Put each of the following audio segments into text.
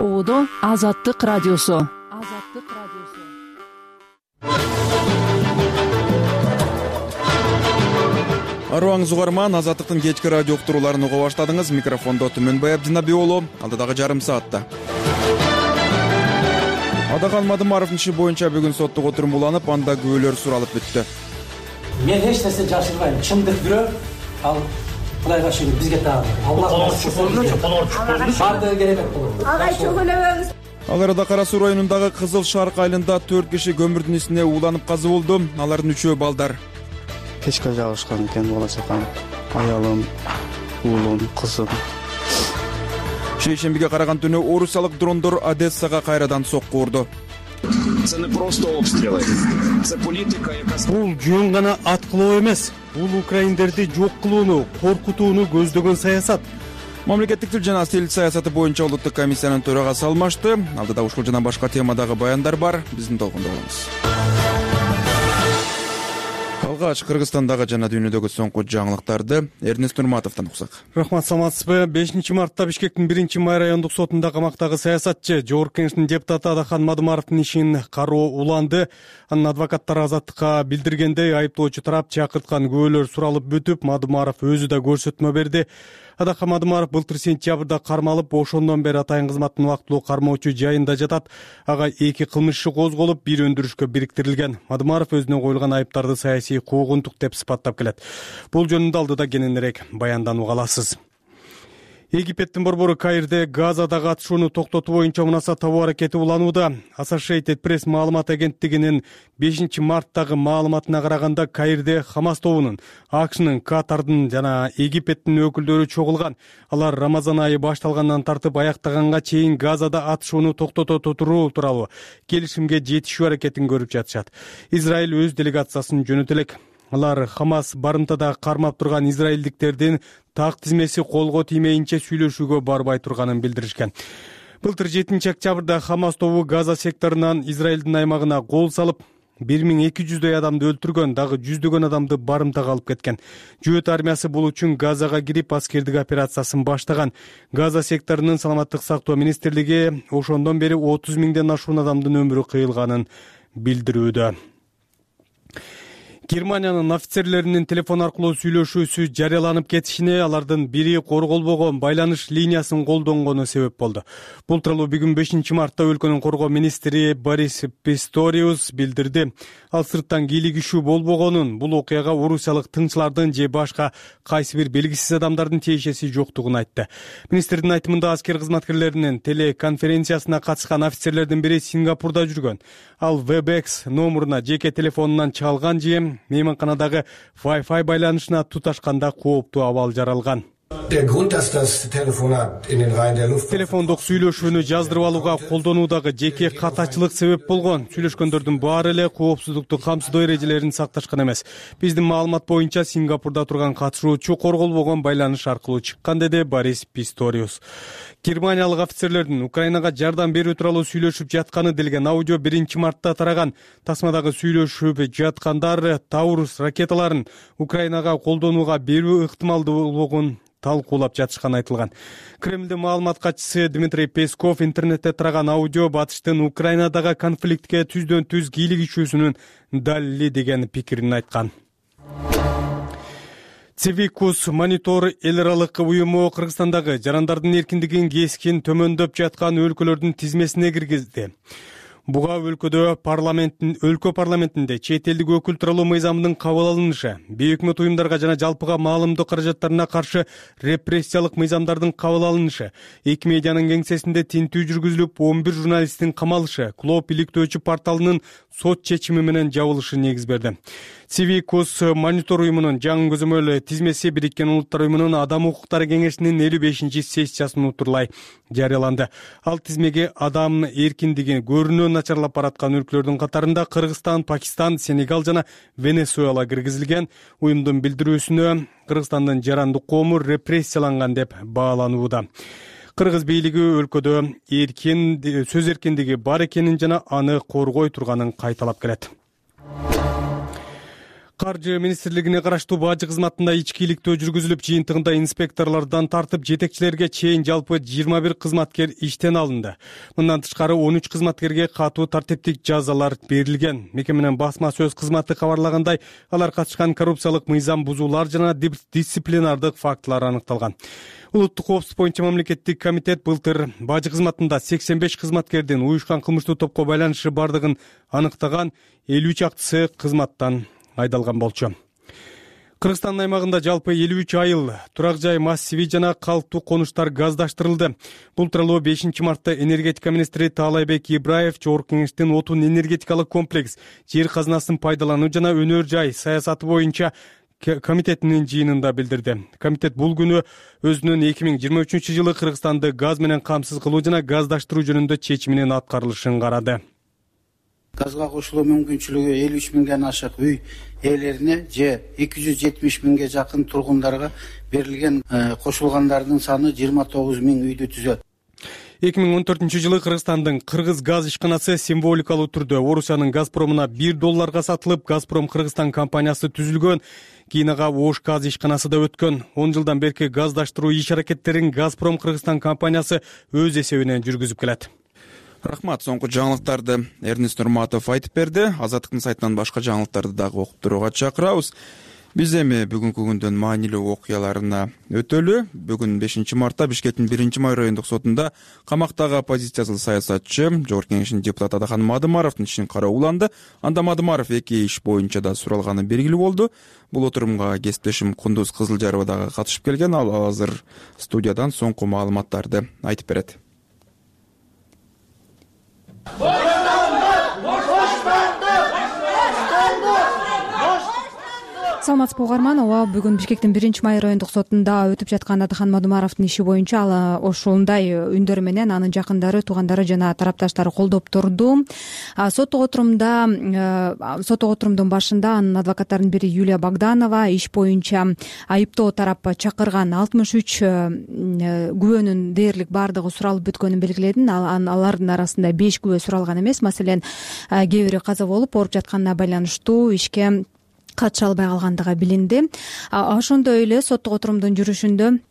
Оодо Азаттык радиосу. Арыбаңыз угарман, Азаттыктын кечки радио уктурууларын уга баштадыңыз. Микрофондо Түмөнбай Абдинабий уулу. Алдыдагы жарым саатта Адакан Мадымаровдун иши боюнча бүгүн соттук отурум уланып, анда күбөлөр суралып бүттү. Мен эч нерсе жашырбайм. Чындык бирөө, ал Кудайга шүгүр бизге таап. Бардыгы керемет болот. Агай чөгөлөбөңүз. Ал арада Кара Суу районундагы Кызыл Шарк айылында 4 киши көмүрдүн исине уланып каза болду. Алардын 3-өө балдар. Печка жагышкан экен, бала чакам, аялым, уулум, кызым. Шейшембиге караган түнү орусиялык дрондор Одессага кайрадан сокку урду. Це не просто обстріли, це політика, яка... Бул жөн гана ат кылуу эмес, бул украиндерди жок кылууну, коркутууну көздөгөн саясат. Мамлекеттик тил жана стил саясаты боюнча улуттук комиссиянын төрагасы алмашты. Алдыда ушул жана башка темадагы баяндар бар. Биздин толкунда болуңуз. Алгач Кыргызстандагы жана дүйнөдөгү соңку жаңылыктарды Эрнест Нурматовдон уксак. Рахмат, саламатсызбы? 5-мартта Бишкектин 1-май райондук сотунда камактагы саясатчы Жогорку Кеңештин депутаты Адакан Мадымаровдун ишин кароо уланды. Анын адвокаттары Азаттыкка билдиргендей, айыптоочу тарап чакырткан күбөлөр суралып бүтүп, Мадымаров өзү да көрсөтмө берди. Адакан Мадымаров былтыр сентябрда кармалып, ошондон бери атайын кызматтын убактылуу кармоочу жайында жатат. Ага 2 кылмыш иши козголуп, 1 өндүрүшкө бириктирилген. Мадымаров өзүнө коюлган айыптарды саясий куугунтук деп сыпаттап келет. Бул жөнүндө алдыда кененирээк баянданып аласыз. Египеттин борбору Каирде Газадагы атышууну токтотуу боюнча мунаса табуу аракети уланууда. Associated Press маалымат агенттигинин 5-марттагы маалыматына караганда, Каирде Хамас тобунун, АКШнын, Катардын жана Египеттин өкүлдөрү чогулган. Алар Рамазан айы башталгандан тартып аяктаганга чейин Газада атышууну токтото туруу тууралуу келишимге жетишүү аракетин көрүп жатышат. Израиль өз делегациясын жөнөтө элек. Алар Хамас барымтада кармап турган израилдиктердин так тизмеси колго тиймейинче сүйлөшүүгө барбай турганын билдиришкен. Былтыр 7-октябрда Хамас тобу Газа секторунан Израилдин аймагына кол салып, 1200 адамды өлтүргөн, дагы жүздөгөн адамды барымтага алып кеткен. Жөөт армиясы бул үчүн Газага кирип аскердик операциясын баштаган. Газа секторунун саламаттык сактоо министрлиги ошондон бери 30 000ден ашуун адамдын өмүрү кыйылганын билдирүүдө. Германиянын офицерлеринин телефон аркылуу сүйлөшүүсү жарыяланып кетишине алардын бири корголбогон байланыш линиясын колдонгону себеп болду. Бул тууралуу бүгүн 5-мартта өлкөнүн коргоо министри Борис Писториус билдирди. Ал сырттан кийлигишүү болбогонун, бул окуяга орусиялык тыңчылардын же башка кайсы бир белгисиз адамдардын тиешеси жоктугун айтты. Министрдин айтымында аскер кызматкерлеринин телеконференциясына катышкан офицерлердин бири Сингапурда жүргөн. Ал WebEx номуруна жеке телефонунан чалган же мейманканадагы Wi-Fi байланышына туташканда кооптуу абал жаралган. Телефондук сүйлөшүүнү жаздырып алууга колдонуудагы жеке катачылык себеп болгон. Сүйлөшкөндөрдүн баары эле коопсуздукту камсыздоо эрежелерин сакташкан эмес. Биздин маалымат боюнча Сингапурда турган катышуучу корголбогон байланыш аркылуу чыккан, деди Борис Писториус. Германиялык офицерлердин Украинага жардам берүү тууралуу сүйлөшүп жатканы делген аудио 1-мартта тараган. Тасмадагы сүйлөшүп жаткандар Таурус ракеталарын Украинага колдонууга берүү ыктымалдуулугун талкуулап жатышканы айтылган. Кремлдин маалымат катчысы Дмитрий Песков интернетте тараган аудио батыштын Украинадагы конфликтке түздөн-түз кийлигишүүсүнүн далили деген пикирин айткан. Цивикус монитор эл аралык уюму Кыргызстандагы жарандардын эркиндигин кескин төмөндөп жаткан өлкөлөрдүн тизмесине киргизди. Буга өлкө парламентинде чет элдик өкүл тууралуу мыйзамдын кабыл алынышы, бейөкмөт уюмдарга жана жалпыга маалымдоо каражаттарына каршы репрессиялык мыйзамдардын кабыл алынышы, эки медианын кеңсесинде тинтүү жүргүзүлүп, 11 журналисттин камалышы, Клоп иликтөөчү порталынын сот чечими менен жабылышы негиз берди. Цивикус монитор уюмунун жаңы көзөмөл тизмеси Бириккен Улуттар уюмунун Адам укуктары кеңешинин 55-сессиясынын утурлай жарыяланды. Ал тизмеге адам эркиндиги көрүнө начарлап бараткан өлкөлөрдүн катарында Кыргызстан, Пакистан, Сенегал жана Венесуэла киргизилген. Уюмдун билдирүүсүнө Кыргызстандын жарандык коому репрессияланган деп бааланууда. Кыргыз бийлиги өлкөдө сөз эркиндиги бар экенин жана аны коргой турганын кайталап келет. Каржы министрлигине караштуу бажы кызматында ичкиликтөө жүргүзүлүп, жыйынтыгында инспекторлордон тартып жетекчилерге чейин жалпы 21 кызматкер иштен алынды. Мындан тышкары 13 кызматкерге катуу тартиптик жазалар берилген. Мекеменин басма сөз кызматы кабарлагандай, алар катышкан коррупциялык мыйзам бузуулар жана дисциплинардык фактылар аныкталган. Улуттук коопсуздук боюнча мамлекеттик комитет былтыр бажы кызматында 85 кызматкердин уюшкан кылмыштуу топко байланышы бардыгын аныктаган, 50 чактысы кызматтан айдалган болчу. Кыргызстандын аймагында жалпы 53 айыл турак жай массиви жана калктуу конуштар газдаштырылды. Бул тууралуу 5 мартта энергетика министри Таалайбек Ибраев Жогорку Кеңештин отун энергетикалык комплекс, жер казынасын пайдалануу жана өнөр жай саясаты боюнча комитетинин жыйынында билдирди. Комитет бул күнү өзүнүн 2023 жылы Кыргызстанды газ менен камсыз кылуу жана газдаштыруу жөнүндө чечиминин аткарылышын карады. Газга кошулуу мүмкүнчүлүгү 53 миңден ашык үй ээлерине же 270 миңге жакын тургундарга берилген, кошулгандардын саны 29 миң үйдү түзөт. 2014 жылы Кыргызстандын Кыргыз газ ишканасы символикалуу түрдө Орусиянын Газпромуна $1 сатылып, Газпром Кыргызстан компаниясы түзүлгөн. Кийин ага Ош газ ишканасы да өткөн. 10 жылдан берки газдаштыруу иш-аракеттерин Газпром Кыргызстан компаниясы өз эсебинен жүргүзүп келет. Рахмат, соңку жаңылыктарды Эрнест Нурматов айтып берди. Азаттыктын сайтынан башка жаңылыктарды дагы окуп турууга чакырабыз. Биз эми бүгүнкү күндүн маанилүү окуяларына өтөлү. Бүгүн 5 мартта Бишкектин 1-май райондук сотунда камактагы оппозициялык саясатчы Жогорку Кеңештин депутаты Адахан Мадымаровдун ишин кароо уланды. Анда Мадымаров 2 иш боюнча да суралганы белгилүү болду. Бул отурумга кесиптешим Кундуз Кызылжарова дагы катышып келген. Ал азыр студиядан соңку маалыматтарды айтып берет. Саламатсызбы угарман. Бүгүн Бишкектин 1-май райондук сотунда өтүп жаткан Адахан Мадымаровдун иши боюнча ал ошондой үндөр менен анын жакындары, туугандары жана тарапташтары колдоп турду. Соттук отурумдун башында анын адвокаттарынын бири Юлия Богданова иш боюнча айыптоо тарап чакырган 63 күбөнүн дээрлик баардыгы суралып бүткөнүн белгиледин. Алардын арасында 5 күбө суралган эмес. Маселен, кээ бири каза болуп, ооруп жатканына байланыштуу ишке катыша албай калгандыгы билинди. Ошондой эле соттук отурумдун жүрүшүндө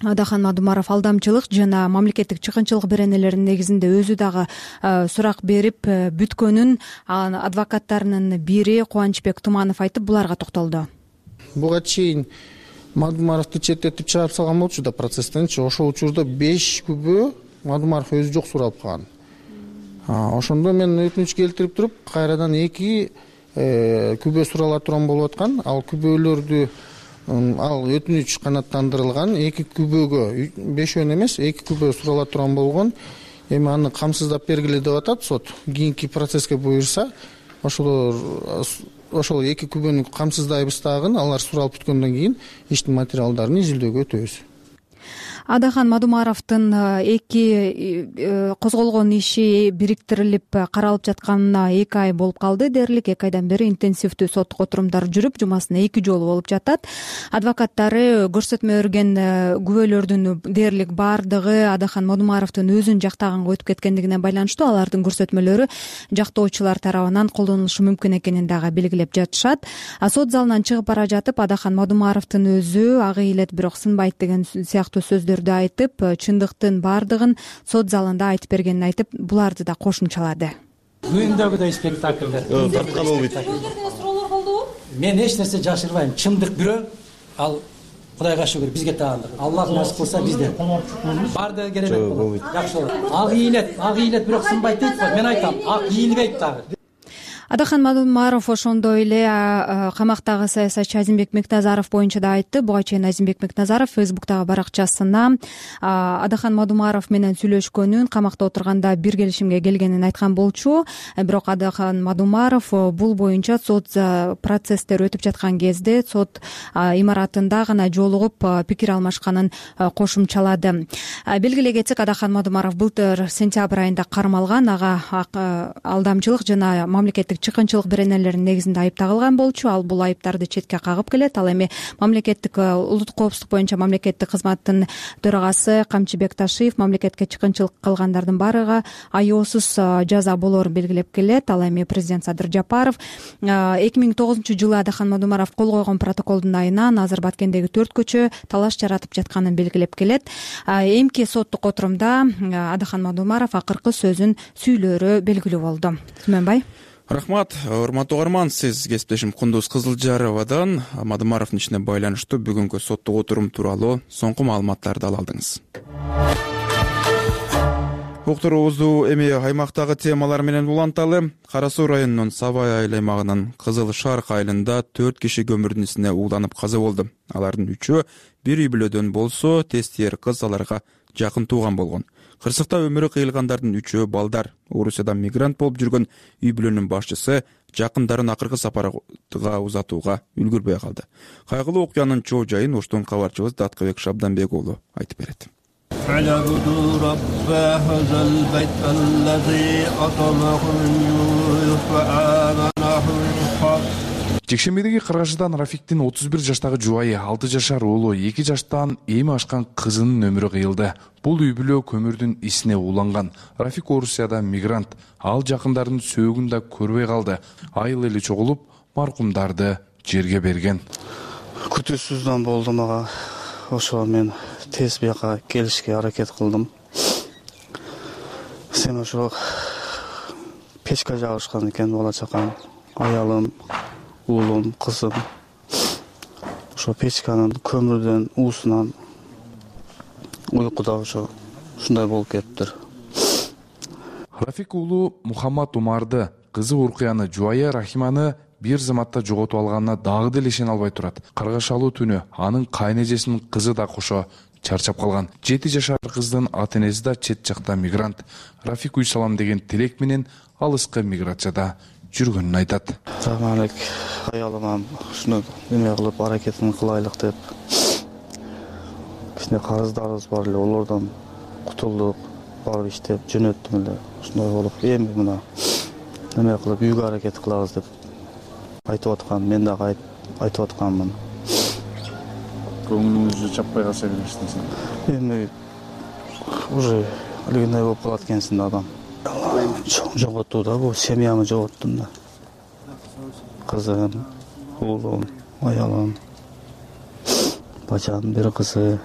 Адахан Мадымаров алдамчылык жана мамлекеттик чыккынчылык беренелеринин негизинде өзү дагы сурак берип бүткөнүн адвокаттарынын бири Кубанычбек Туманов айтып, буларга токтолду. Буга чейин Мадымаровду четтетип чыгарып салган болчу да процесстенчи. Ошол учурда 5 күбө Мадымаров өзү жок суралып калган. Ошондо мен өтүнүч келтирип туруп, кайрадан 2 күбө сурала турган болуп аткан. Ал күбөлөрдү ал өтүнүч канааттандырылган. 2 күбөгө 5 эмес, 2 күбө сурала турган болгон. Эми аны камсыздап бергиле деп атат сот. Кийинки процесске буйрса, ошол 2 күбөнү камсыздайбыз дагы. Алар суралып бүткөндөн кийин иштин материалдарын изилдөөгө өтөбүз. Адахан Мадымаровдун 2 козголгон иши бириктирилип каралып жатканына 2 ай болуп калды. Дээрлик 2 айдан бери интенсивдүү соттук отурумдар жүрүп, жумасына 2 жолу болуп жатат. Адвокаттары көрсөтмө берген күбөлөрдүн дээрлик баардыгы Адахан Мадымаровдун өзүн жактаганга өтүп кеткендигине байланыштуу алардын көрсөтмөлөрү жактоочулар тарабынан колдонулушу мүмкүн экенин дагы белгилеп жатышат. Сот залынан чыгып бара жатып, Адахан Мадымаровдун өзү ага илет, бирок сынбайт деген сыяктуу сөздөрдү айтып, чындыктын баардыгын сот залында айтып бергенин айтып, буларды да кошумчалады. Күндөгүдөй спектакльдер. Тарткан болбойт. Суроолор болдубу? Мен эч нерсе жашырбайм. Чындык бирөө, ал Кудайга шүгүр бизге таандык. Аллах насип кылса бизде. Баардыгы керемет болот. Жакшы болот. Ак ийилет, бирок сынбайт дейт го. Мен айтам, ак ийилбейт дагы. Адахан Мадымаров ошондой эле камактагы саясатчы Азимбек Мекназаров боюнча да айтты. Буга чейин Азимбек Мекназаров Фейсбуктагы баракчасына Адахан Мадымаров менен сүйлөшкөнүн, камакта отурганда бир келишимге келгенин айткан болчу. Бирок Адахан Мадымаров бул боюнча сот процесстер өтүп жаткан кезде сот имаратында гана жолугуп пикир алмашканын кошумчалады. Белгилей кетсек, Адахан Мадымаров былтыр сентябрь айында кармалган. Ага алдамчылык жана мамлекеттик чыккынчылык беренелеринин негизинде айып тагылган болчу. Ал бул айыптарды четке кагып келет. Ал эми мамлекеттик улуттук коопсуздук боюнча мамлекеттик кызматтын төрагасы Камчыбек Ташиев мамлекетке чыккынчылык кылгандардын баарыга айоосуз жаза болоорун белгилеп келет. Ал эми президент Садыр Жапаров 2009-жылы Адахан Мадумаров кол койгон протоколдун айынан азыр Баткендеги 4 көчө талаш жаратып жатканын белгилеп келет. Эмки соттук отурумда Адахан Мадумаров акыркы сөзүн сүйлөөрү белгилүү болду. Түмөнбай. Рахмат, урматтуу угарман, сиз кесиптешим Кундуз Кызылжаровадан Мадумаровдун ишине байланыштуу бүгүнкү соттук отурум тууралуу соңку маалыматтарды ала алдыңыз. Уктуруубузду эми аймактагы темалар менен уланталы. Кара Суу районунун Сабай айыл аймагынын Кызыл Шарк айылында 4 киши көмүрдүн ичине ууланып каза болду. Алардын 3-өө бир үй бүлөдөн болсо, тестиер кыз аларга жакын тууган болгон. Кырсыкта өмүрү кыйылгандардын 3-өө балдар. Орусиядан мигрант болуп жүргөн үй бүлөнүн башчысы жакындарын акыркы сапарга узатууга үлгүрбөй калды. Кайгылуу окуянын чоо жайын Оштун кабарчыбыз Даткыбек Шабданбек уулу айтып берет. Жекшембидеги Кыргашыдан Рафиктин 31 жаштагы жубайы, 6 жашар уулу, 2 жаштан эми ашкан кызынын өмүрү кыйылды. Бул үй бүлө көмүрдүн исине ууланган. Рафик Орусиядан мигрант. Ал жакындарын сөөгүн да көрбөй калды. Айыл эли чогулуп, маркумдарды жерге берген. Күтүүсүздөн болду мага. Ошо мен тез бияка келишке аракет кылдым. Сен ошо печка жагышкан экен, бала чакам, аялым, уулум, кызым. Ошо печканын көмүрдөн уусунан уйкуда ошо ушундай болуп кетиптир. Рафик уулу Мухаммад Умарды, кызы Уркуяны, жубайы Рахиманы бир заматта жоготуп алганына дагы деле ишене албай турат. Каргашалуу түнү анын кайнэжесинин кызы да кошо чарчап калган. 7 жашар кыздын ата-энеси да чет жакта мигрант. Рафик үй салам деген тилек менен алыскы миграцияда жүргөнүн айтат. Заманбек аялым ушуну эме кылып аракетин кылайлык деп кичине карыздарыбыз бар эле, олордон кутулдук, барып иштеп жөнөттүм эле. Ушундай болуп, эми мына эме кылып үйгө аракет кылабыз деп айтып аткан, мен дагы айтып атканмын. Көңүлүңүздү чаппай калса бересиз. Эми уже алгындай болуп калат экенсиң да адам. Жоготту да, бул семьямы жоготтум да. Кызым, уулум, аялым, бачам, бир кызы.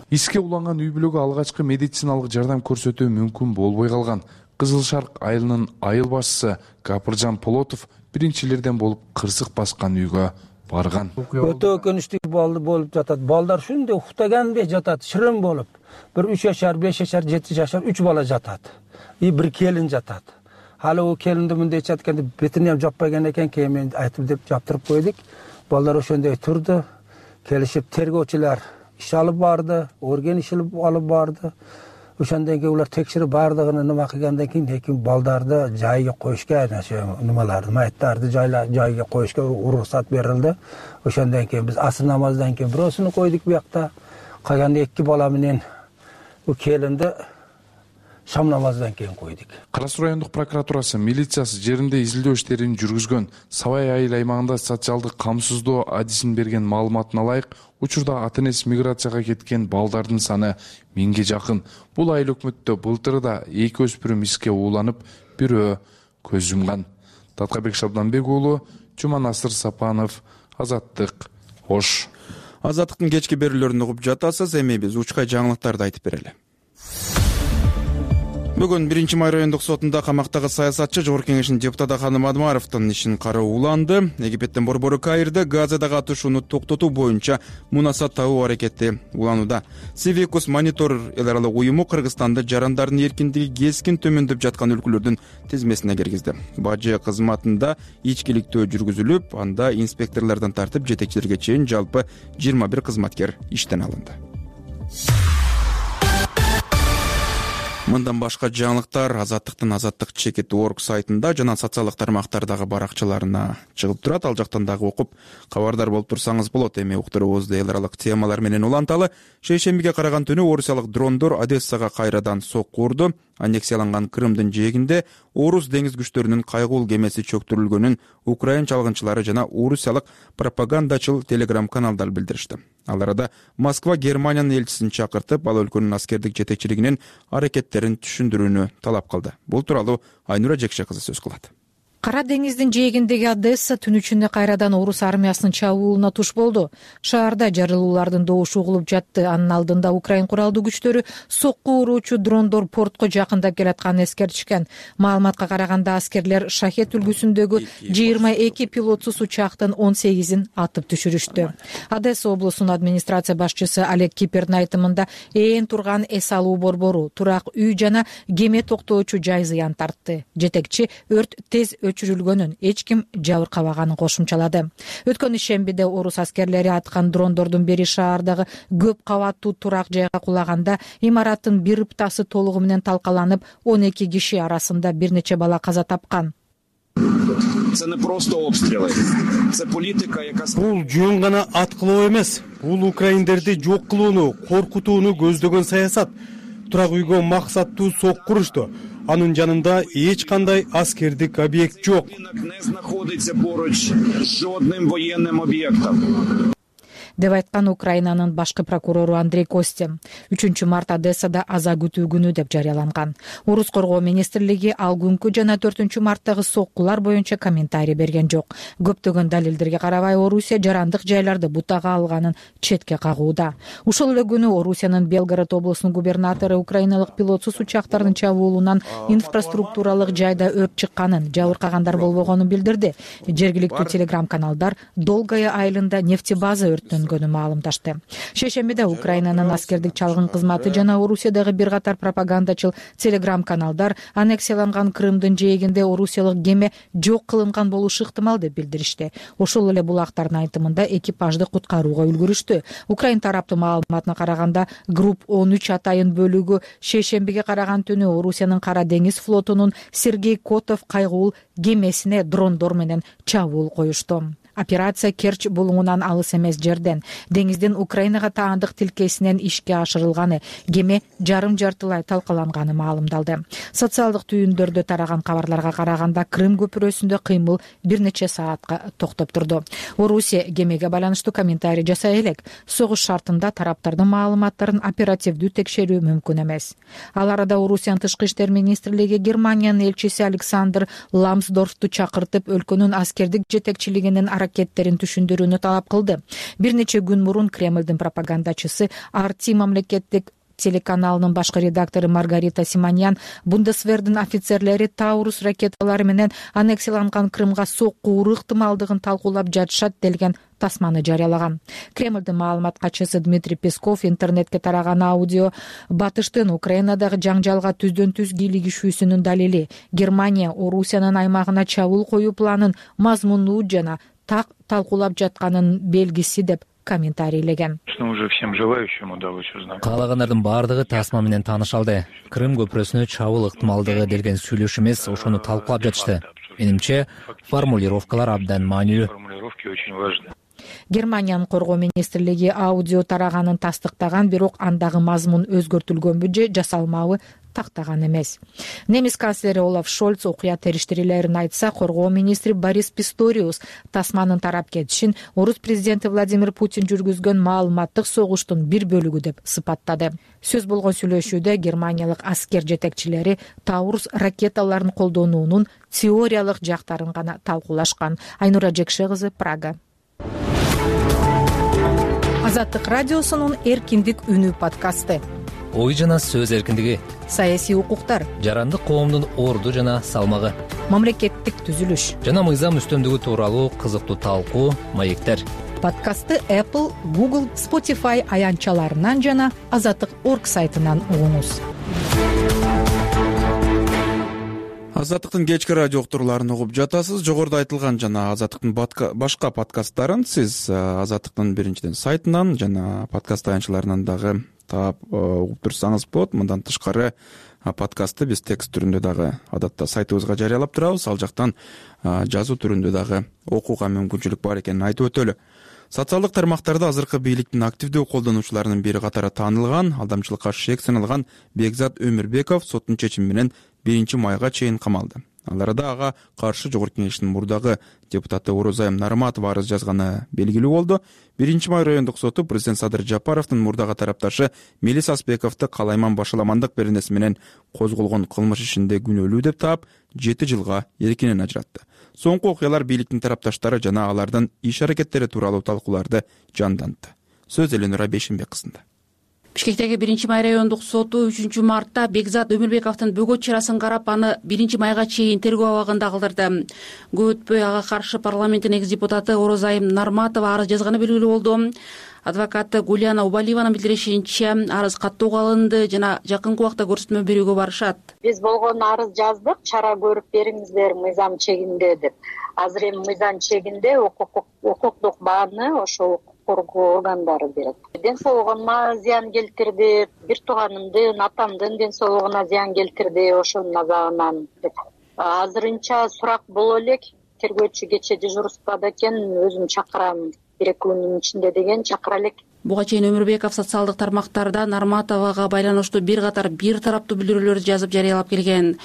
Иске уланган үй бүлөгө алгачкы медициналык жардам көрсөтүү мүмкүн болбой калган. Кызыл Шарк айылынын айыл башчысы Капыржан Полотов биринчилерден болуп кырсык баскан үйгө барган. Өтө өкүнүчтүү болуп жатат. Балдар ушундай уктагандай жатат, шырын болуп. Бир 3 жашар, 5 жашар, 7 жашар 3 бала жатат. И бир келин жатат. Хали о келинди мындай жатканда бетине ham жаппаган экен, кийин айтып деп жаптырып койдук. Балдар ошондой турду. Келишип тергөөчүлөр иш алып барды, орген иш алып барды. Ошондон кийин улар текширип бардыгын нема кылгандан кийин балдарды жайга коюшка, немаларды, майыттарды жайга коюшка уруксат берилди. Ошондон кийин биз асыр намаздан кийин бирөөсүнү койдук буякта. Калган 2 бала менен бу келинди шам намаздан кийин койдук. Кара Суу райондук прокуратурасы, милициясы жеринде изилдөө иштерин жүргүзгөн. Сабай айыл аймагында социалдык камсыздоо адисин берген маалыматына ылайык, учурда ата-энеси миграцияга кеткен балдардын саны 1000ге жакын. Бул айыл өкмөттө былтыр да 2 өспүрүм иске ууланып, бирөө көз жумган. Даткыбек Шабданбек уулу, Жуманасыр Сапанов, Азаттык, Ош. Азаттыктын кечки берүүлөрүн угуп жатасыз, эми биз учкай жаңылыктарды айтып берели. Бүгүн 1-май райондук сотунда камактагы саясатчы Жогорку Кеңештин депутаты Адахан Мадумаровдун ишин кароо уланды. Египеттен Борбору Каирде Газада катышууну токтотуу боюнча мунасат табуу аракети уланууда. Civicus Monitor эл аралык уюму Кыргызстанды жарандардын эркиндиги кескин төмөндөп жаткан өлкөлөрдүн тизмесине киргизди. Бажы кызматында ичкиликтөө жүргүзүлүп, анда инспекторлордон тартып жетекчилерге чейин жалпы 21 кызматкер иштен алынды. Мындан башка жаңылыктар азаттык чекит орг сайтында жана социалдык тармактардагы баракчаларына чыгып турат. Ал жактан дагы окуп кабардар болуп турсаңыз болот. Эми уктуруубузду эл аралык темалар менен уланталы. Шейшембиге караган түнү орусиялык дрондор Одессага кайрадан сокку урду. Аннексияланган Крымдын жээгинде орус деңиз күчтөрүнүн кайгуул кемеси чөктүрүлгөнүн украин чалгынчылары жана орусиялык пропагандачыл телеграм каналдар билдиришти. Ал арада Москва Германиянын элчисин чакыртып, ал өлкөнүн аскердик жетекчилигинин аракеттерин түшүндүрүүнү талап кылды. Бул тууралуу Айнура Жекше кызы сөз кылат. Кара деңиздин жээгиндеги Одесса түн ичинде кайрадан орус армиясынын чабуулуна туш болду. Шаарда жарылуулардын добушу угулуп жатты. Анын алдында Украин куралдуу күчтөрү сокку уруучу дрондор портко жакындап келатканын эскертишкен. Маалыматка караганда аскерлер Шахет үлгүсүндөгү 22 пилотсуз учактын 18-ин атып түшүрүштү. Одесса облусунун администрация башчысы Олег Кипердин айтымында ээн турган эс алуу борбору, турак үй жана кеме токтоочу жай зыян тартты. Жетекчи өрт тез өчүрүлгөнүн, эч ким жабыркабаганын кошумчалады. Өткөн ишембиде орус аскерлери аткан дрондордун бири шаардагы көп кабаттуу турак жайга кулаганда имараттын бир ыптасы толугу менен талкаланып, 12 киши арасында бир нече бала каза тапкан. Це не просто обстріли. Це політика, яка Бул жөн гана аткылоо эмес. Бул украиндерди жок кылууну, коркутууну көздөгөн саясат. Турак үйгө максаттуу сокку урушту. Анын жанында эч кандай аскердик объект жок. не знаходиться поруч з жодним воєнним об'єктом. Деп айткан Украинанын башкы прокурору Андрей Костя. 3 март Одессада аза күтүү күнү деп жарыяланган. Орус коргоо министрлиги ал күнкү жана 4 марттагы соккулар боюнча комментарий берген жок. Көптөгөн далилдерге карабай Орусия жарандык жайларды бутага алганын четке кагууда. Ушул эле күнү Орусиянын Белгород облусунун губернатору украиналык пилотсуз учактардын чабуулунан инфраструктуралык жайда өрт чыкканын, жабыркагандар болбогонун билдирди. Жергиликтүү телеграм-каналдар Долгая айылында нефтебаза өрттөнгөнүн маалымдашты. Шейшембиде Украинанын аскердик чалгын кызматы жана Орусиядагы бир катар пропагандачыл телеграм-каналдар аннексияланган Крымдын жээгинде орусиялык кеме жок кылынган болушу ыктымал деп билдиришти. Ошол эле булактардын айтымында экипажды куткарууга үлгүрүштү. Украин тараптын маалыматына караганда групп 13 атайын бөлүгү шейшембиге караган түнү Орусиянын Кара деңиз флотунун Сергей Котов кайгуул кемесине дрондор менен чабуул коюшту. Операция Керчь булуңунан алыс эмес жерден, деңиздин Украинага таандык тилкесинен ишке ашырылганы, кеме жарым-жартылай талкаланганы маалымдалды. Социалдык түйүндөрдө тараган кабарларга караганда Крым көпүрөсүндө кыймыл бир нече саатка токтоп турду. Орусия кемеге байланыштуу комментарий жасай элек, согуш шартында тараптардын маалыматтарын оперативдүү текшерүү мүмкүн эмес. Ал арада Орусиянын тышкы иштер министрлиги Германиянын элчиси Александр Ламсдорфту чакыртып, өлкөнүн аскердик жетекчилигинин аракеттерин түшүндүрүүнү талап кылды. Бир нече күн мурун Кремлдин пропагандачысы RT мамлекеттик телеканалынын башкы редактору Маргарита Симоньян Бундесвердин офицерлери Таурус ракеталары менен аннексияланган Крымга сокку уруу ыктымалдыгын талкуулап жатышат делген тасманы жарыялаган. Кремлдин маалымат катчысы Дмитрий Песков интернетке тараган аудио батыштын Украинадагы жаңжалга түздөн-түз кийлигишүүсүнүн далили. Германия Орусиянын аймагына чабуул коюу планын мазмундуу жана так талкуулап жатканын белгиси деп комментарийлеген. Каалагандардын баардыгы тасма менен тааныша алды. Крым көпүрөсүнө чабуул ыктымалдыгы делген сүйлөшүү эмес, ошону талкуулап жатышты. Менимче, формулировкалар абдан маанилүү. Германиянын коргоо министрлиги аудио тараганын тастыктаган, бирок андагы мазмун өзгөртүлгөнбү же жасалмабы тактаган эмес. Немис канцлери Олаф Шольц окуя териштирүүлөрүн айтса, коргоо министри Борис Писториус тасманын тарап кетишин орус президенти Владимир Путин жүргүзгөн маалыматтык согуштун бир бөлүгү деп сыпаттады. Сөз болгон сүйлөшүүдө германиялык аскер жетекчилери Таурус ракеталарын колдонуунун теориялык жактарын гана талкуулашкан. Айнура Жекше кызы, Прага. Азаттык радиосунун эркиндик үнү подкасты. Ой жана сөз эркиндиги, саясий укуктар, жарандык коомдун орду жана салмагы, мамлекеттик түзүлүш жана мыйзам үстөмдүгү тууралуу кызыктуу талкуу, маектер. Подкастты Apple, Google, Spotify аянтчаларынан жана Азаттык.org сайтынан угуңуз. Азаттыктын кечки радио уктурууларын угуп жатасыз. Жогоруда айтылган жана Азаттыктын башка подкасттарын сиз Азаттыктын биринчиден сайтынан жана подкаст аянтчаларынан дагы таап угуп турсаңыз болот. Мындан тышкары подкастты биз текст түрүндө дагы адатта сайтыбызга жарыялап турабыз. Ал жактан жазуу түрүндө дагы окууга мүмкүнчүлүк бар экенин айтып өтөлү. Социалдык тармактарда азыркы бийликтин активдүү колдонуучуларынын бири катары таанылган, алдамчылыкка шек саналган Бекзат Өмүрбеков соттун чечими менен 1 майга чейин камалды. Ал арада ага каршы Жогорку Кеңештин мурдагы депутаты Орозайым Нарматова арыз жазганы белгилүү болду. 1 май райондук соту президент Садыр Жапаровдун мурдагы тарапташы Мелис Аспековду калайман башаламандык беренеси менен козголгон кылмыш ишинде күнөөлүү деп таап 7 жылга эркинен ажыратты. Соңку окуялар бийликтин тарапташтары жана алардын иш аракеттери тууралуу талкууларды жандантты. Сөз Эленора Бешимбек кызында. Бишкектеги 1 май райондук соту 3 мартта Бекзат Өмүрбековдун бөгөт чарасын карап, аны 1 майга чейин тергөө абагында калтырды. Көп өтпөй ага каршы парламенттин экс депутаты Орозайым Нарматова арыз жазганы белгилүү болду. Адвокаты Гулияна Убалиеванын билдиришинче, арыз каттоого алынды жана жакынкы убакта көрсөтмө берүүгө барышат. Биз болгон арыз жаздык, чара көрүп бериңиздер мыйзам чегинде деп. Азыр эми мыйзам чегинде укуктук бааны ошол коргоо органдары берет. Ден соолугума зыян келтирди, бир тууганымдын, атамдын ден соолугуна зыян келтирди ошонун азабынан деп. Азырынча сурак боло элек, тергөөчү кечээ дежурствада экен, өзүм чакырам 1-2 күндүн ичинде деген чакыра элек. Буга чейин Өмүрбеков социалдык тармактарда Нарматовага байланыштуу бир катар бир тараптуу билдирүүлөрдү жазып жарыялап келген.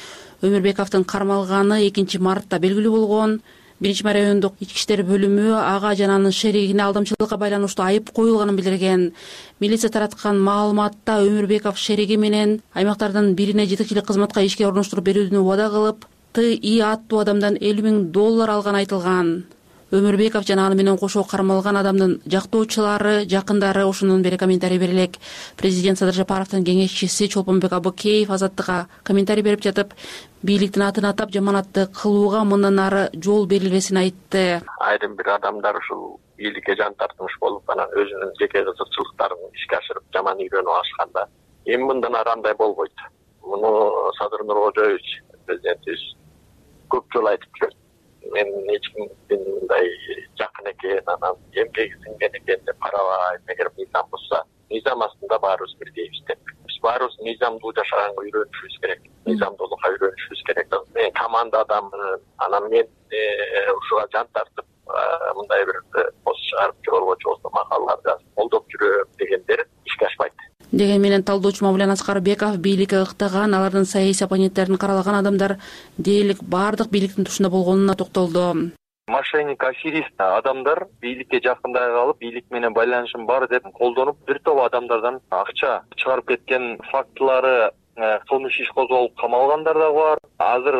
Өмүрбековдун кармалганы 2 мартта белгилүү болгон. 1 май райондук ички иштер бөлүмү ага жана анын шеригине алдамчылыкка байланыштуу айып коюлганын билдирген. Милиция тараткан маалыматта Өмүрбеков шериги менен аймактардын бирине жетекчилик кызматка ишке орноштуруп берүүнү убада кылып, ТИ аттуу адамдан $50,000 алганы айтылган. Өмүрбеков жана аны менен кошо кармалган адамдын жактоочулары, жакындары ошондон бери комментарий берелек. Президент Садыр Жапаровдун кеңешчиси Чолпонбек Абыкеев Азаттыкка комментарий берип жатып, бийликтин атын атап жаманатты кылууга мындан ары жол берилбесин айтты. Айрым бир адамдар ушул бийликке жан тартмыш болуп, анан өзүнүн жеке кызыкчылыктарын ишке ашырып, жаман үйрөнүп алышканда, эми мындан ары андай болбойт. Муну Садыр Нуркожоевич президентибиз көп жолу айтып жүрөт. Мен эч кимдин мындай жакын экен, анан эмгеги сиңген экен деп карабайм. Эгер мыйзам бузса, мыйзам астында баарыбыз бирдейбиз деп. Биз баарыбыз мыйзамдуу жашаганга үйрөнүшүбүз керек. Мыйзамдуулукка үйрөнүшүбүз керек. Мен команда адаммын, анан мен ушуга жан тартып, мындай бир пост чыгарып жогоргочу болсо макалалар жазып колдоп жүрөм дегендер ишке ашпайт. Деген менен талдоочу Мавлен Аскарбеков бийликке ыктаган, алардын саясий оппоненттерин каралаган адамдар дээрлик баардык бийликтин тушунда болгонуна токтолду. Мошенник, аферист адамдар бийликке жакындай калып, бийлик менен байланышым бар деп колдонуп, бир топ адамдардан акча чыгарып кеткен фактылары, кылмыш иш козголуп камалгандар да бар. Азыр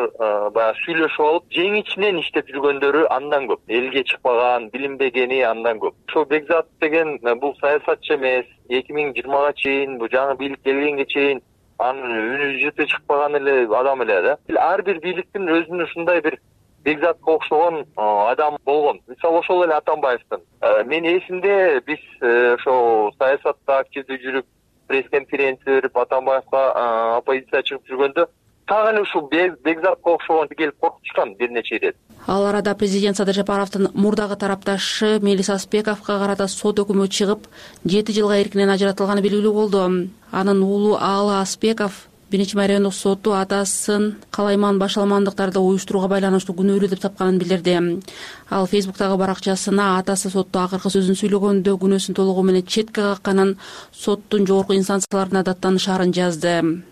баягы сүйлөшүп алып, жең ичинен иштеп жүргөндөрү андан көп. Элге чыкпаган, билинбегени андан көп. Ошо Бекзат деген бул саясатчы эмес. 2020-га чейин, бул жаңы бийлик келгенге чейин анын үнү жыты чыкпаган эле адам эле да. Ар бир бийликтин өзүнүн ушундай бир Бекзатка окшогон адам болгон. Мисалы ошол эле Атамбаевдин. Мен эсимде биз ошо саясатта активдүү жүрүп, пресс-конференция берип, Атамбаевга оппозиция чыгып жүргөндө так эле ушул Бекзатка окшогон келип коркутушкан бир нече ирет. Ал арада президент Садыр Жапаровдун мурдагы тарапташы Мелис Аспековго карата сот өкүмү чыгып, 7 жылга эркинен ажыратылганы белгилүү болду. Анын уулу Аалы Аспеков 1 май райондук соту атасын калайман башаламандыктарды уюштурууга байланыштуу күнөөлүү деп тапканын билдирди. Ал Фейсбуктагы баракчасына атасы сотто акыркы сөзүн сүйлөгөндө күнөөсүн толугу менен четке какканын, соттун жогорку инстанцияларына даттанышаарын жазды.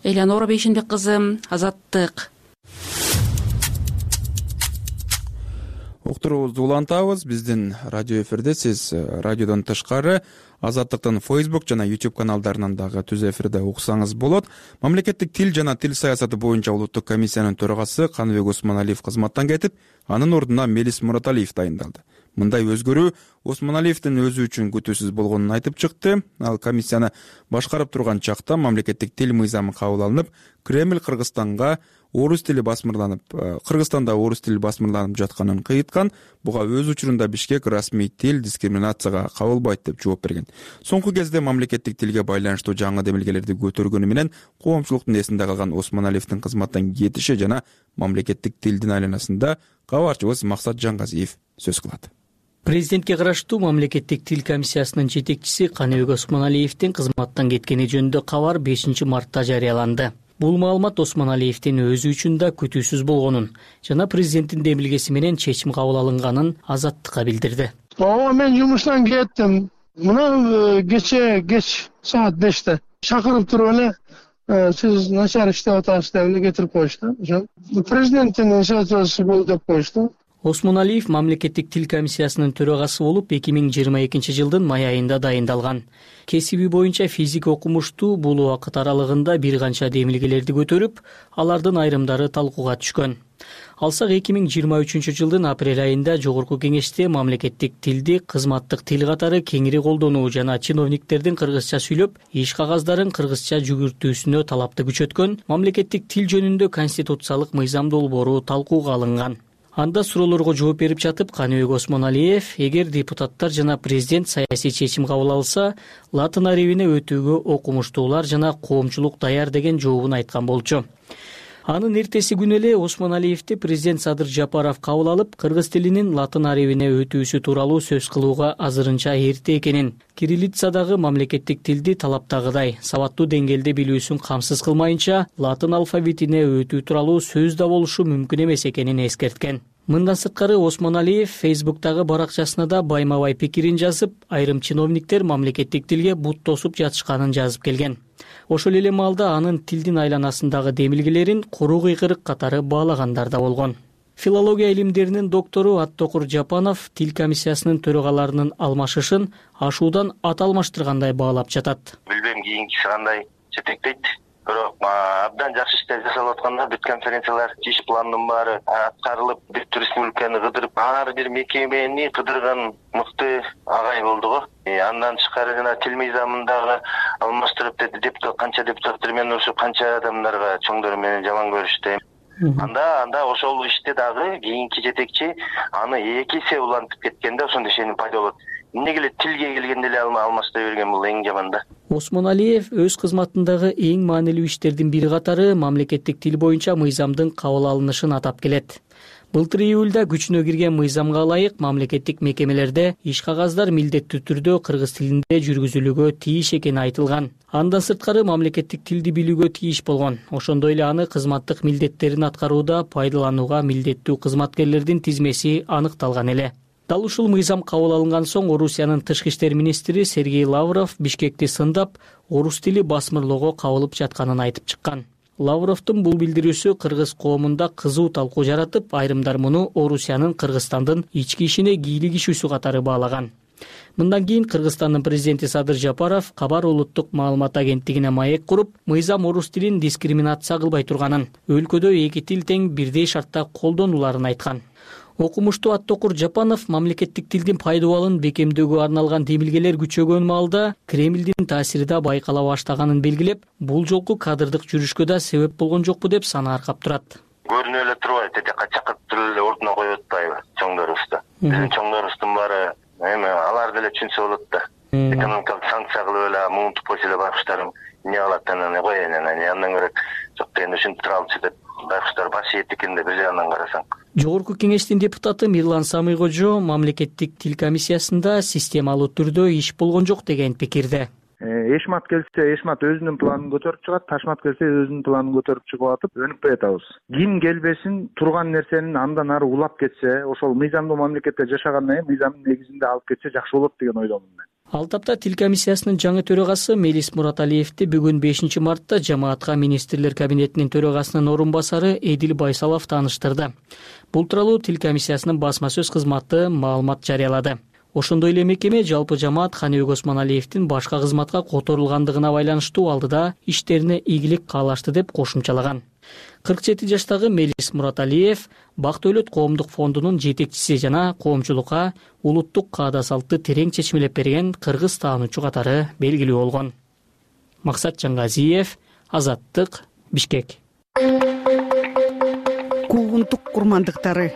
Эленора Бейшинбек кызы, Азаттык. Уктуруубузду улантабыз. Биздин радио эфирде сиз радиодон тышкары Азаттыктын Facebook жана YouTube каналдарынан дагы түз эфирде уксаңыз болот. Мамлекеттик тил жана тил саясаты боюнча улуттук комиссиянын төрагасы Каныбек Осмоналиев кызматтан кетип, анын ордуна Мелис Мураталиев дайындалды. Мындай өзгөрүү Осмоналиевдин өзү үчүн күтүүсүз болгонун айтып чыкты. Ал комиссияны башкарып турган чакта мамлекеттик тил мыйзамы кабыл алынып, Кремль Кыргызстанда орус тили басмырланып жатканын кыйыткан. Буга өз учурунда Бишкек расмий тил дискриминацияга кабылбайт деп жооп берген. Соңку кезде мамлекеттик тилге байланыштуу жаңы демилгелерди көтөргөнү менен коомчулуктун эсинде калган Осмоналиевдин кызматтан кетиши жана мамлекеттик тилдин айланасында кабарчыбыз Максат Жангазиев сөз кылат. Президентке караштуу мамлекеттик тил комиссиясынын жетекчиси Каныбек Осмоналиевдин кызматтан кеткени жөнүндө кабар 5 мартта жарыяланды. Бул маалымат Осмоналиевдин өзү үчүн да күтүүсүз болгонун жана президенттин демилгеси менен чечим кабыл алынганын Азаттыкка билдирди. Ооба, мен жумуштан кеттим. Мына кеч саат 5-те чакырып туруп эле сиз начар иштеп атасыз деп эле кетирип коюшту. Ошо президенттин инициативасы болду деп коюшту. Осмоналиев мамлекеттик тил комиссиясынын төрагасы болуп 2022 жылдын май айында дайындалган. Кесиби боюнча физик окумуштуу бул убакыт аралыгында бир канча демилгелерди көтөрүп, алардын айрымдары талкууга түшкөн. Алсак 2023 жылдын апрель айында жогорку кеңеште мамлекеттик тилди кызматтык тил катары кеңири колдонуу жана чиновниктердин кыргызча сүйлөп, иш кагаздарын кыргызча жүгүртүүсүнө талапты күчөткөн мамлекеттик тил жөнүндө конституциялык мыйзам долбоору талкууга алынган. Анда суроолорго жооп берип жатып, Каныбек Осмоналиев, эгер депутаттар жана президент саясий чечим кабыл алса, латын арабине өтүүгө окумуштуулар жана коомчулук даяр деген жообун айткан болчу. Анын эртеси күнү эле Осмоналиевди президент Садыр Жапаров кабыл алып, кыргыз тилинин латын арабине өтүүсү тууралуу сөз кылууга азырынча эрте экенин, кириллицадагы мамлекеттик тилди талаптагыдай сабаттуу деңгээлде билүүсүн камсыз кылмайынча, латын алфавитине өтүү тууралуу сөз да болушу мүмкүн эмес экенин эскерткен. Мындан сырткары Осмоналиев Фейсбуктагы баракчасына да байма-бай пикирин жазып, айрым чиновниктер мамлекеттик тилге бут тосуп жатышканын жазып келген. Ошол эле маалда анын тилдин айланасындагы демилгелерин куру кыйкырык катары баалагандар да болгон. Филология илимдеринин доктору Аттокур Жапанов тил комиссиясынын төрагаларынын алмашышын ашуудан ат алмаштыргандай баалап жатат. Билбейм кийинкиси кандай жетектейт. Бирок абдан жакшы иштер жасалып атканда бүт конференциялар, иш пландын баары аткарылып, бүт республиканы кыдырып, ар бир мекемени кыдырган мыкты агай болду го. Андан тышкары жана тил мыйзамындагы алмаштырып деди депутат, канча депутаттар менен урушуп, канча адамдарга чоңдор менен жаман көрүштү. Анда ошол иште дагы кийинки жетекчи аны 2 эсе улантып кеткенде ошондой ишеним пайда болот. Эмнеге эле тилге келгенде эле алмаштай берген бул эң жаман да. Осмоналиев өз кызматындагы эң маанилүү иштердин бири катары мамлекеттик тил боюнча мыйзамдын кабыл алынышын атап келет. Былтыр июлда күчүнө кирген мыйзамга ылайык мамлекеттик мекемелерде иш кагаздар милдеттүү түрдө кыргыз тилинде жүргүзүлүүгө тийиш экени айтылган. Андан сырткары мамлекеттик тилди билүүгө тийиш болгон. Ошондой эле аны кызматтык милдеттерин аткарууда пайдаланууга милдеттүү кызматкерлердин тизмеси аныкталган эле. Дал ушул мыйзам кабыл алынган соң Орусиянын тышкы иштер министри Сергей Лавров Бишкекти сындап, орус тили басмырлоого кабылып жатканын айтып чыккан. Лавровдун бул билдирүүсү кыргыз коомунда кызуу талкуу жаратып, айрымдар муну Орусиянын Кыргызстандын ички ишине кийлик ишүүсү катары баалаган. Мындан кийин Кыргызстандын президенти Садыр Жапаров Кабар улуттук маалымат агенттигине маек куруп, мыйзам орус тилин дискриминация кылбай турганын, өлкөдө 2 тил тең бирдей шартта колдонуларын айткан. Окумуштуу Аттокур Жапанов мамлекеттик тилдин пайдубалын бекемдөөгө арналган демилгелер күчөгөн маалда Кремлдин таасири да байкала баштаганын белгилеп, бул жолку кадрдык жүрүшкө да себеп болгон жокпу деп сана аркап турат. Көрүнүп эле турбайбы, тетекка чакырып туруп эле ордуна коюп атпайбы чоңдорубузду. Биздин чоңдорубуздун баары эми алар деле түшүнсө болот да. Экономикалык санкция кылып эле муунтуп койсо эле байкуштарым эмне кылат анан коеюн андан көрө жок дегенде ушинтип тура алчу деп байкуштар баш ийет экен да бир жагынан карасаң. Жогорку кеңештин депутаты Мирлан Самыйкожо мамлекеттик тил комиссиясында системалуу түрдө иш болгон жок деген пикирде. Эшмат келсе, Эшмат өзүнүн планын көтөрүп чыгат, Ташмат келсе өзүнүн планын көтөрүп чыгып атып, өнүкпөй атабыз. Ким келбесин, турган нерсенин андан ары улап кетсе, ошол мыйзамдуу мамлекетте жашагандан кийин мыйзамдын негизинде алып кетсе жакшы болот деген ойдомун мен. Ал тапта тил комиссиясынын жаңы төрагасы Мелис Мураталиевди бүгүн 5 мартта жамаатка министрлер кабинетинин төрагасынын орун басары Эдил Байсалов тааныштырды. Бул тууралуу тил комиссиясынын басма сөз кызматы маалымат жарыялады. Ошондой эле мекеме жалпы жамаат Каныбек Осмоналиевдин башка кызматка которулгандыгына байланыштуу алдыда иштерине ийгилик каалашты деп кошумчалаган. 47 жаштагы Мелис Мураталиев Бак Дөлөт коомдук фондунун жетекчиси жана коомчулукка улуттук каада салтты терең чечмелеп берген кыргыз таануучу катары белгилүү болгон. Максат Жаңгазиев, Азаттык, Бишкек. Куугунтук курмандыктары.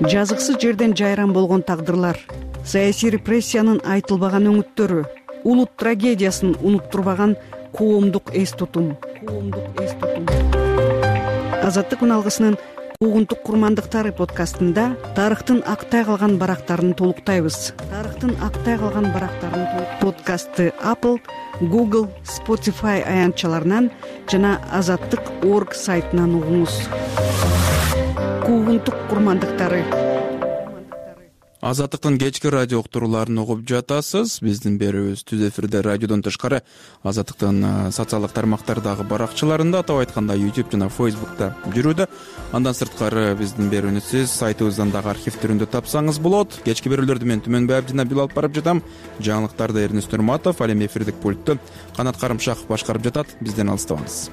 Жазыксыз жерден жайран болгон тагдырлар, саясий репрессиянын айтылбаган өңүттөрү, улут трагедиясын унуттурбаган коомдук эс тутум. Азаттык үн алгысынын Куугунтук курмандыктары подкастында тарыхтын актай калган барактарын толуктайбыз. Подкастты Apple, Google, Spotify аянтчаларынан жана Азаттык.org сайтынан угуңуз. Куугунтук курмандыктары. Азаттыктын кечки радио уктурууларын угуп жатасыз. Биздин берүүбүз түз эфирде радиодон тышкары Азаттыктын социалдык тармактардагы баракчаларында, атап айтканда YouTube жана Facebook'та жүрүүдө. Андан сырткары биздин берүүнү сиз сайтыбыздан дагы архив түрүндө тапсаңыз болот. Кечки берүүлөрдү мен Түмөнбай Абдинабил алып барып жатам. Жаңылыктарды Эрнест Нурматов, ал эми эфирдик пультту Канат Карымшаков башкарып жатат. Бизден алыстабаңыз.